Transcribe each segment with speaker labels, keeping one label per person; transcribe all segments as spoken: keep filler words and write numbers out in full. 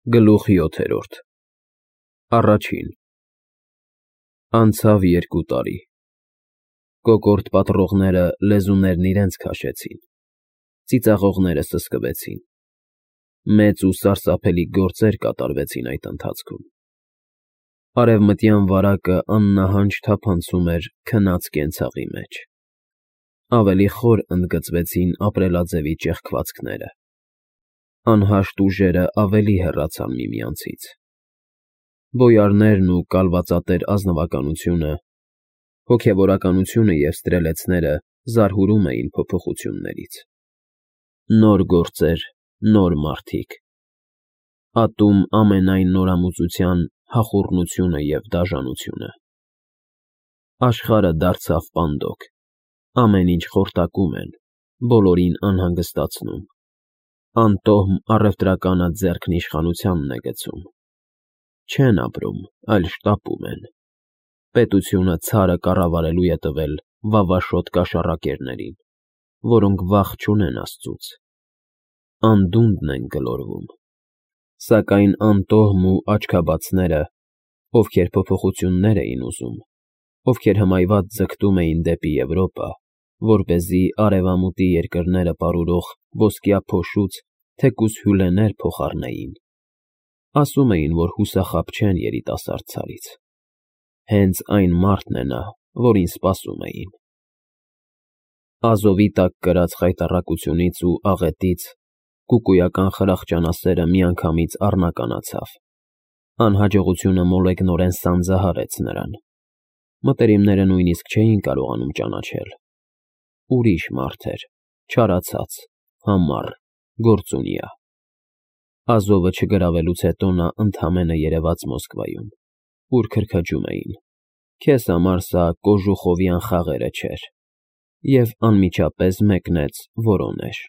Speaker 1: Գլուխ յոթերորդ Առաջին Անցավ երկու տարի, կոկորդ պատռողները լեզուներն իրենց քաշեցին, ծիծաղողները սսկվեցին, մեծ ու սարսափելի գործեր կատարվեցին այդ ընթացքում, արևմտյան վարակը աննահանջ թափանցում էր քնած կենցաղի մեջ, ավելի խոր ընդգծվեցին ապրելաձևի ճեղքվածքները, անհաշտ ուժերը ավելի հեռացան միմյանցից, բոյարներն ու կալվածատեր ազնվականությունը, հոգևորականությունը և ստրելեցները զարհուրում էին փոփոխություններից, նոր գործեր, նոր մարդիկ, ատում ամենայն նորամուծության հախուռնությունը և դաժանությունը, աշխարհը դարձավ պանդոկ, ամեն ինչ խորտակում են, բոլորին անհանգստացնում, անտոհմ առևտրականը ձեռքն իշխանությանն է գցում, չեն ապրում, այլ շտապում են, պետությունը ցարը կառավարելու է տվել վավաշոտ կաշառակերներին, որոնք վախ չունեն աստծուց, անդունդն են գլորվում, սակայն անտոհմ ու աչքաբացները, ովքեր փոփոխություններ էին ուզում, ովքեր հմայված ձգտում էին դեպի Եվրոպա, որպեսզի արևամուտի երկրները պարուրող ոսկյա փոշուց թեկուզ հյուրեր փոխառնեին, ասում էին, որ հուսախաբ չեն երիտասարդ ցարից, հենց այն մարդն է նա, որին սպասում էին, Ազովի տակ կրած խայտառակությունից ու աղետից կուկույական խրախճանասերը միանգամից առնականացավ, անհաջողությունը մոլեգնորեն սանձահարեց նրան, մտերիմները նույնիսկ չէին կարողանում ճանաչել, ուրիշ մարդ էր, չարացած, համառ, գործունյա, Ազովը չգրավելուց հետո նա ընդամենը երևաց Մոսկվայում, ուր քրքջում էին, քեզ համար սա կոժուխովյան խաղերը չէր, և անմիջապես մեկնեց Որոնեժ,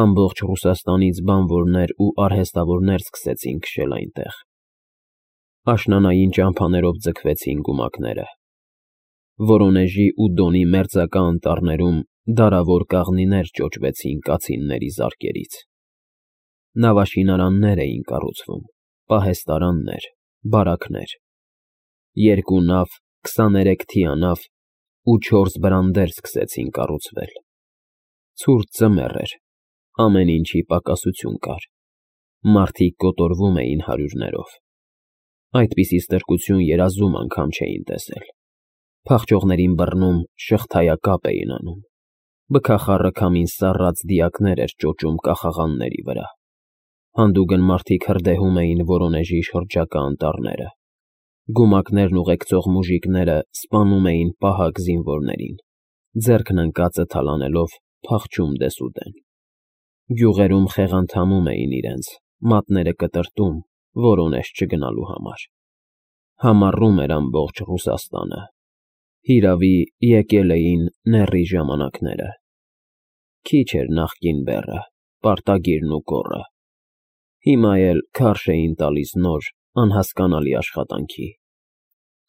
Speaker 1: ամբողջ Ռուսաստանից բանվորներ ու արհեստավորներ սկսեցին քշել այնտեղ, աշնանային ճամփաներով ձգվեցին գումակները, Որոնեժի ու Դոնի մերձակա անտառներում դարավոր կաղնիներ ճոճվեցին կացինների զարկերից, նավաշինարաններ էին կառուցվում, պահեստարաններ, բարաքներ, երկու նավ, քսաներեք թիանավ ու չորս բրանդեր սկսեցին կառուցվել, ցուրտ ձմեռ էր, ամեն ինչի պակասություն կար, մարդիկ կոտորվում էին հարյուրներով, այդպիսի ստրկություն երազում անգամ չէին տեսել, փախչողներին բռնում շղթայակապ էին անում, բքախառը քամին սառած դիակներ էր ճոճում կախաղանների վրա, հանդուգն մարդիկ հրդեհում էին Որոնեժի շրջակա անտառները, գումակներն ուղեկցող մուժիկները սպանում էին պահակ զինվորներին, ձեռքն ընկածը թալանելով փախչում դեսուդեն, գյուղերում խեղանդամում էին իրենց, մատները կտրտում Որոնեժ չգնալու համար, համառում էր ամբողջ Ռուսաստանը, հիրավի, եկել էին նեռի ժամանակները, քիչ էր նախկին բեռը, պարտագիրն ու կոռը, հիմա էլ քարշ էին տալիս նոր, անհասկանալի աշխատանքի,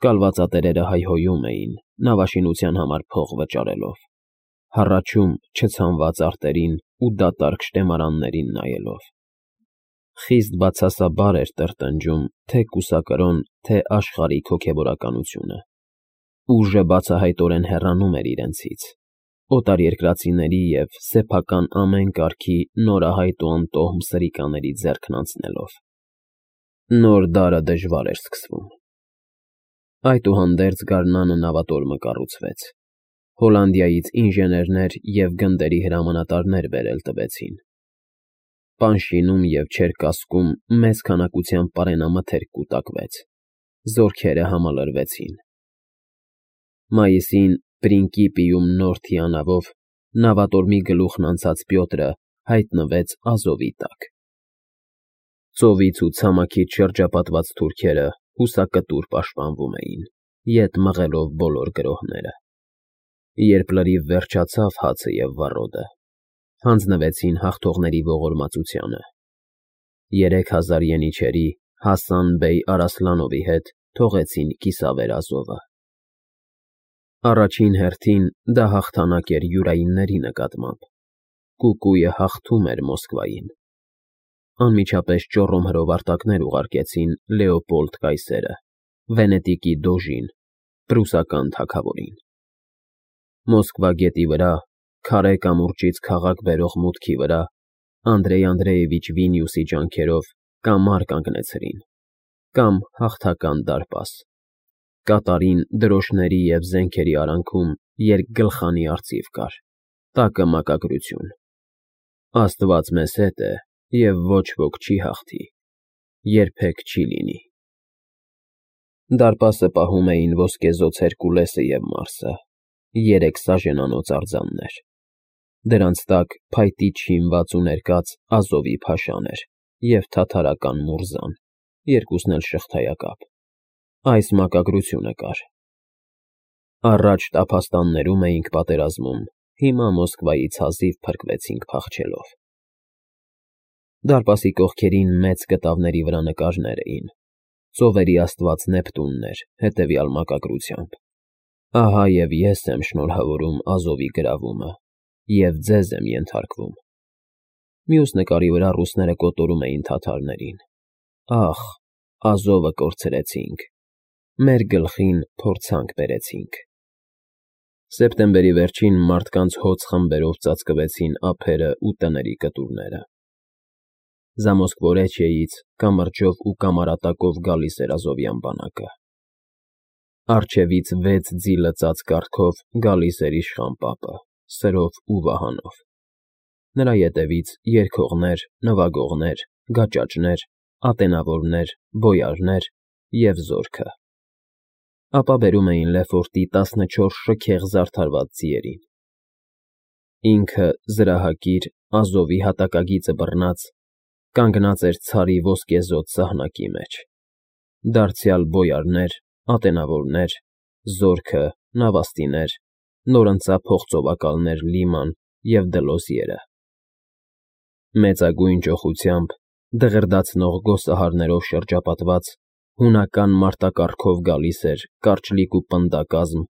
Speaker 1: կալվածատերերը հայհոյում էին, նավաշինության համար փող վճարելով, հառաչում չցանված արտերին ու դատարկ շտեմարաններին նայելով, խիստ բացասաբար էր տրտնջում թե կուսակրոն, թե աշխարհիկ հոգևորականությունը, ուժը բացահայտորեն հեռանում էր իրենցից, օտարերկրացիների և սեփական ամեն կարգի նորահայտ ու անտոհմ սրիկաների ձեռքն անցնելով, նոր դարը դժվար էր սկսվում, այդուհանդերձ գարնանը նավատորմը կառուցվեց, Հոլանդիայից ինժեներներ և գնդերի հրամանատարներ բերել տվեցին, Պանշինում և Չերկասկում մեծ քանակությամբ պարենամթերք կուտակվեց, զորքերը համալրվեցին, Մայիսին Պրինկիպիում նոր թիանավով նավատորմի գլուխն անցած Պյոտրը հայտնվեց Ազովի տակ, ծովից ու ցամաքից շրջապատված թուրքերը հուսակտուր պաշտպանվում էին, ետ մղելով բոլոր գրոհները, երբ լրիվ վերջացավ հացը և վառոդը, հանձնվեցին հաղթողների ողորմածությանը, երեք հազար ենիչերի Հասան բեյ Արասլանովի հետ թողեցին կիսավեր Ազովը, առաջին հերթին դա հաղթանակ էր յուրայինների նկատմամբ, կուկույը հաղթում էր Մոսկվային, անմիջապես ճոռոմ հրովարտակներ ուղարկեցին Լեոպոլդ կայսերը, Վենետիկի դոժին, պրուսական թագավորին։ Մոսկվա գետի վրա, քարե կամուրջից քաղաք բերող մուտքի վրա, Անդրեյ Անդրեևիչ Վինիուսի ջանքերով կամար կանգնեցրին, կամ հաղթական դարպաս, կատարին դրոշների և զենքերի արանքում երկգլխանի արծիվ կար, տակը մակագրություն. Աստված մեզ հետ է, և ոչ ոք չի հաղթի, երբեք չի լինի։ Դարպասը պահում էին ոսկեզօծ Հերկուլեսը և Մարսը, երեք սաժենանոց արձաններ, դրանց տակ փայտի չինված ու ներկած Ազովի փաշան էր և թաթարական մուրզան, երկուսն էլ շղթայակապ, այս մակագրությունը կար. «Առաջ տափաստաններում էինք պատերազմում, հիմա Մոսկվայից հազիվ փրկվեցինք փախչելով»։ Դարպասի կողքերին մեծ կտավների վրա նկարներ էին, ծովերի աստված Նեպտունն էր հետևյալ մակագրությամբ. «Ահա և ես եմ շնորհավորում Ազովի գրավումը, և ձեզ եմ ենթարկվում»։ Մյուս նկարի վրա ռուսները կոտորում էին թաթարներին. «Ախ, Ազովը կորցրեցինք, մեր գլխին փորձանք բերեցինք»։ Սեպտեմբերի վերջին մարդկանց հոծ խմբերով ծածկվեցին ափերը ու տների կտուրները։ Զամոսկվորեչիեից կամրջով ու կամարատակով գալիս էր ազովյան բանակը։ Առջևից վեց ձիլը ծած կառքով գալիս էր իշխան պապը, սրով ու վահանով։ Նրա ետևից երգողներ, նվագողներ, գաճաճներ, ատենավորներ, բոյարներ և զորքը։ Ապա բերում էին Լեֆորտի տասնչորս շքեղ զարդարված ձիերին։ Ինքը զրահակիր Ազովի հատակագիծը բռնած, կանգնած էր ցարի ոսկեզօծ սահնակի մեջ, դարձյալ բոյարներ, ատենավորներ, զորքը, նավաստիներ, նորընծա փողծովակալներ Լիման և Դլոզիերը։ Մեծագույն ճոխությամբ, դղրդացնող գոսահարներով շրջապատված, հունական մարտակառքով գալիս էր կարճլիկ ու պնդակազմ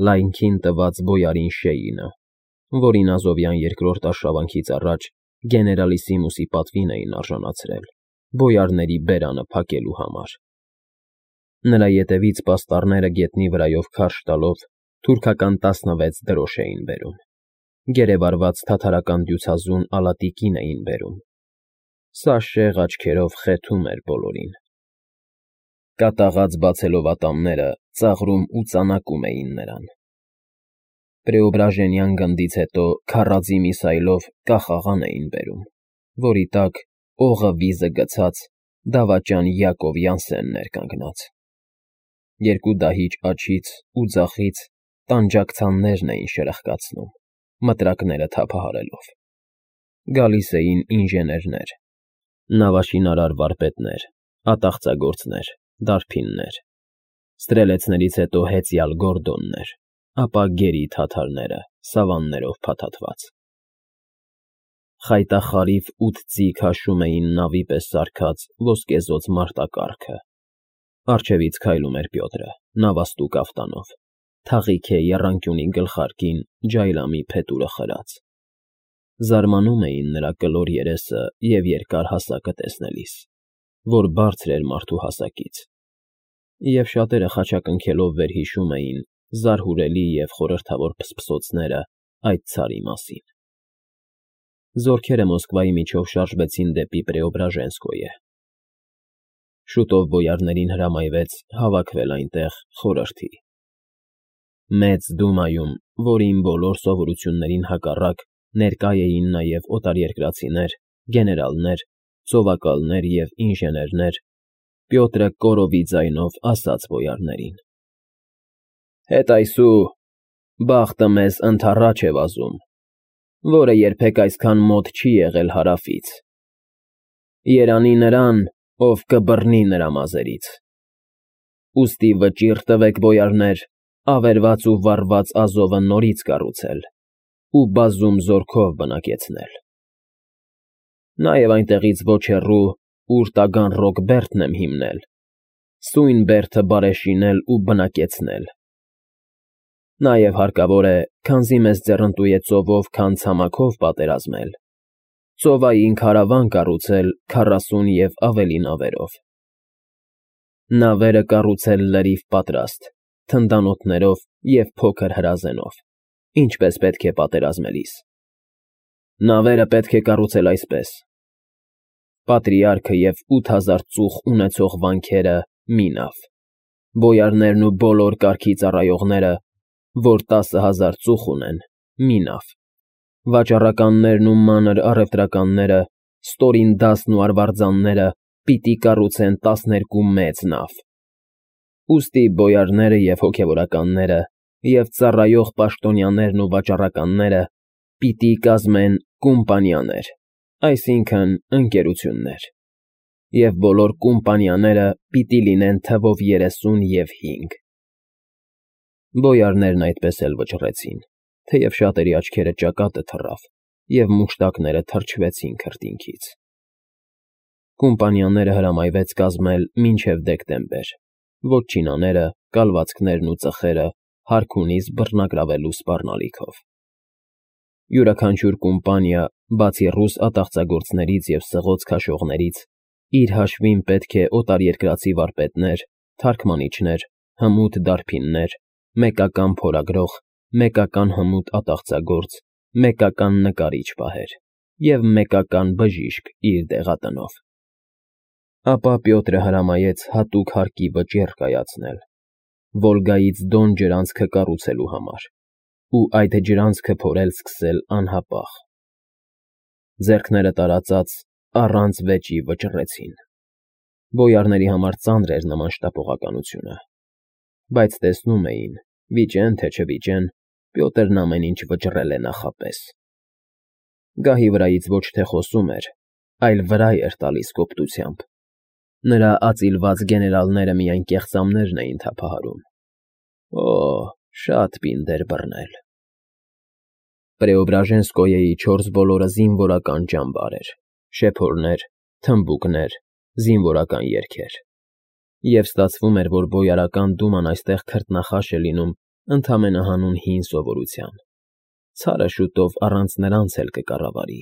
Speaker 1: լայնքին տված բոյարին Շեյինը, որին ազովյան երկրորդ արշավանքից առաջ գեներալիսիմուսի պատվին էին արժանացրել բոյարների բերանը փակելու համար։ Նրա ետևից պաստառները գետնի վրայով քարշ տալով թուրքական տասնվեց դրոշ էին բերում, գերեվարված թաթարական դյուցազուն ալատիկին էին բերում։ Սա շեղ աչքերով խեթում էր բոլորին։ Կատաղած բացելով ատամները, ծաղրում ու ծանակում էին նրան։ Պրեոբրաժենյան գնդից հետո քարաձի միսայլով կախաղան էին բերում, որի տակ, օղը վիզը գցած, դավաճան Յակով Յանսենն էր կանգնած։ Երկու դահիճ աջից ու ձախից տանջակցաններն էին շրխկացնում, մտրակները թափահարելով։ Գալիս էին ինժեներներ, նավաշինարար վարպետներ, ատաղծագործներ, դարբիններ, ստրելեցներից հետո հեծյալ գորդոններ, ապա գերի թաթարները սավաններով փաթաթված։ Խայտախարիվ ութ ձի քաշում էին նավի պես սարքած ոսկեզօծ մարտակառքը։ Առջևից քայլում էր Պյոտրը, նավաստու կաֆտանով, թաղիքե եռանկյունի գլխարկին ջայլամի փետուրը խրած։ Զարմանում էին նրա կլոր երեսը և երկար հասակը տեսնելիս, որ բարձր էր մարդու հասակից, և շատերը խաչակնքելով վերհիշում էին զարհուրելի և խորհրդավոր փսփսոցները այդ ցարի մասին։ Զորքերը Մոսկվայի միջով շարժվեցին դեպի Պրեոբրաժենսկոյե։ Շուտով բոյարներին հրամայվեց հավաքվել այնտեղ խորհրդի։ Մեծ դումայում, որին բոլոր սովորություններին հակառակ ներկա էին նաև օտարերկրացիներ, գեներալներ, ծովակալներ և ինժեներներ, Պյոտրը կորովի ձայնով ասաց բոյարներին. «Հետայսու, բախտը մեզ ընդառաջ է վազում, որը երբեք այսքան մոտ չի եղել հարավից։ Երանի նրան, ով կբռնի նրա մազերից։ Ուստի վճիռ տվեք, բոյարներ, ավերված ու վառված Ազովը նորից կառուցել ու բազում զորքով բնակեցնել։ Նաև այնտեղից ոչ հեռու, ուր տագան Ռոկբերտն եմ հիմնել, սույն բերդը բարեշինել ու բնակեցնել։ Նաև հարկավոր է, քանզի մեզ ձեռնտու է ծովով քան ցամաքով պատերազմել, ծովային քարավան կառուցել քառասուն և ավելի նավերով։ Նավերը կառուցել լրիվ պատրաստ, թնդանոթներով և փոքր հրազենով, ինչպես պետք է պատերազմելիս։ Նավերը պետք է կառուցել այսպես. պատրիարքը և ութ հազար ծուխ ունեցող վանքերը՝ մի նավ, բոյարներն ու բոլոր կարգի ծառայողները, որ տասը հազար ծուխ ունեն, մի նավ, վաճառականներն ու մանր առևտրականները, ստորին դասն ու արվարձանները պիտի կառուցեն տասներկու մեծ նավ։ Ուստի բոյարները և հոգևորականները և ծառայող պաշտոնյաներն ու վաճառականները պիտի կազմեն կումպանիաներ, այսինքն՝ ընկերություններ, և բոլոր կումպանիաները պիտի լինեն թվով երեսուն և հինգ։ Բոյարներն այդպես էլ վճռեցին, թեև շատերի աչքերը ճակատը թռավ, և մուշտակները թրջվեցին քրտինքից։ Կումպանիաները հրամայվեց կազմել մինչև դեկտեմբեր, վոտչինաները, կալվածքներն ու ծխերը հարքունից բռնագրավելու սպառնալիքով։ Յուրաքանչյուր կումպանիա, բացի ռուս ատաղծագործներից և սղոց քաշողներից, իր հաշվին պետք է օտարերկրացի վարպետներ, թարգմանիչներ, հմուտ դարբիններ, մեկական փորագրող, մեկական հմուտ ատաղծագործ, մեկական նկարիչ պահեր և մեկական բժիշկ իր դեղատնով։ Ապա Պյոտրը հրամայեց հատուկ հարկի վճիռ կայացնել Վոլգայից Դոն ջրանցքը կառուցելու համար ու այդ ջրանցքը փորել սկսել անհապաղ։ Ձեռքները տարածած, առանց վեճի վճռեցին։ Բոյարների համար ծանր էր նման շտապողականությունը, բայց տեսնում էին, վիճեն թե չվիճեն, Պյոտրն ամեն ինչ վճռել է նախապես։ Գահի վրայից ոչ թե խոսում էր, այլ վրա էր տալիս կոպտությամբ։ Նրա ածիլված գեներալները միայն կեղծամներն էին թափահարում։ Օ՜, շատ պինդ էր բռնել։ Պրեոբրաժենսկոյեի չորս բոլորը զինվորական ճամբար էր, շեփորներ, թմբուկներ, զինվորական երգեր։ Եվ ստացվում էր, որ Բոյարական դուման այստեղ քրտնախաշ է լինում ընդամենը հանուն հին սովորության, ցարը շուտով առանց նրանց էլ կկառավարի։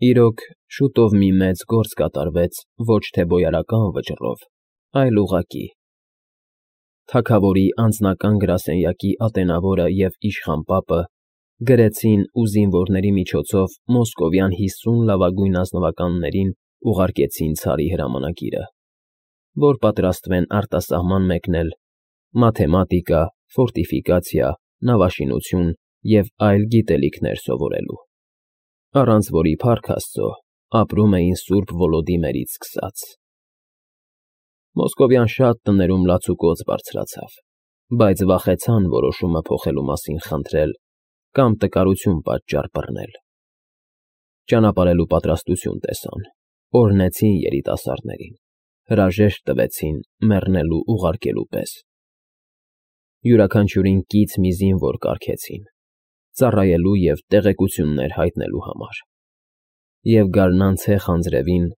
Speaker 1: Իրոք, շուտով մի մեծ գործ կատարվեց ոչ թե բոյարական վճռով, այլ ուղղակի։ Թագավորի անձնական գրասենյակի ատենավորը և իշխան պապը գրեցին ու զինվորների միջոցով մոսկովյան հիսուն լավագույն ազնվականներին ուղարկեցին ցարի հրամանագիրը, որ պատրաստվեն արտասահման մեկնել մաթեմատիկա, ֆորտիֆիկացիա, նավաշինություն և այլ գիտելիքներ սովորելու, առանց որի, փառք Աստծո, ապրում էին Սուրբ Վոլոդիմերից սկսած։ Մոսկովյան շատ տներում լացուկոծ բարձրացավ, բայց վախեցան որոշումը փոխելու մասին խնդրել կամ տկարություն պատճառ բռնել։ Ճանապարհելու պատրաստություն տեսան, օրհնեցին երիտասարդներին, հրաժեշտ տվեցին մեռնելու ուղարկելու պես։ Յուրաքանչյուրին կից մի զինվոր կարգեցին, ծառայելու և տեղեկություններ հայտնելու համար։ Եվ գարնան ցեխ անձրևին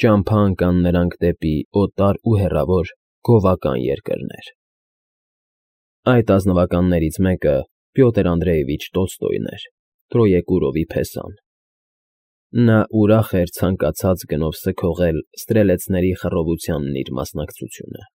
Speaker 1: ճամփա ընկան նրանք դեպի օտար ու հեռավոր գովական երկրներ։ Այդ ազնվականներից մեկը Պյոտր Անդրեևիչ Տոլստոյն էր, Տրոեկուրովի փեսան։ Նա ուրախ էր ցանկացած գնով սգողել ստրելեցների խռովությանն իր մասնակցությունը։